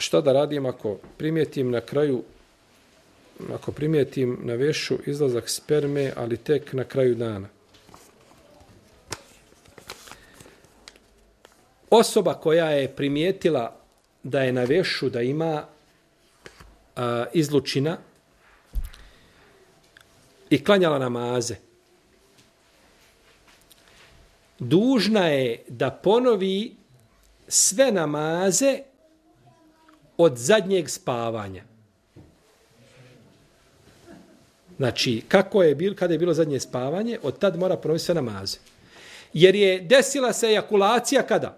šta da radim ako primijetim na kraju, ako primijetim na vešu izlazak sperme, ali tek na kraju dana? Osoba koja je primijetila da je na vešu, da ima izlučina i klanjala namaze, dužna je da ponovi sve namaze od zadnjeg spavanja. Znači, kada je bilo zadnje spavanje, od tad mora ponoviti sve namaze. Jer je desila se ejakulacija kada?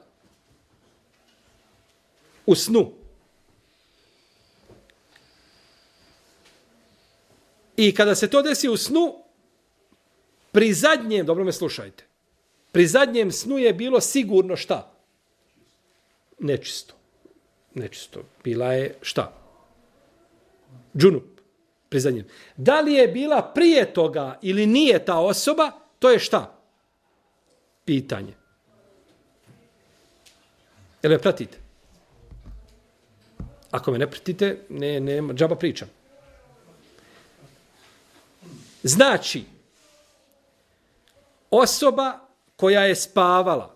U snu. I kada se to desi u snu, pri zadnjem, dobro me slušajte, pri zadnjem snu je bilo sigurno šta? Nečisto. Nečisto. Bila je šta? Džunup. Pri zadnjem. Da li je bila prije toga ili nije ta osoba, to je šta? Pitanje. Jel me pratite? Ako me ne pratite, ne džaba pričam. Znači, osoba koja je spavala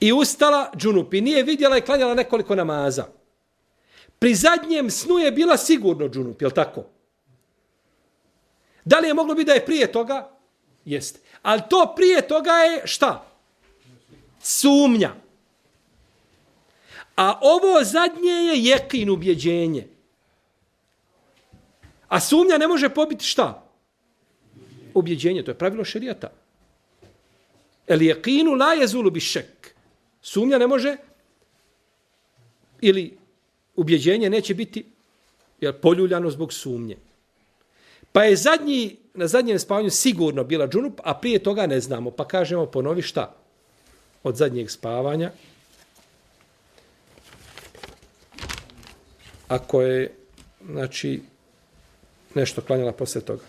i ustala džunup i nije vidjela i klanjala nekoliko namaza. Pri zadnjem snu je bila sigurno džunup, je li tako? Da li je moglo biti da je prije toga? Jeste. Ali to prije toga je šta? Sumnja. A ovo zadnje je jekin, ubjeđenje. A sumnja ne može pobiti šta? Ubjeđenje, to je pravilo šerijata. El jekinu la jezulu bi šek. Sumnja ne može, ili ubjeđenje neće biti poljuljano zbog sumnje. Pa je na zadnjem spavanju sigurno bila džunup, a prije toga ne znamo. Pa kažemo, ponovi šta? Od zadnjeg spavanja. Ako je, znači, nešto klanjala posle toga.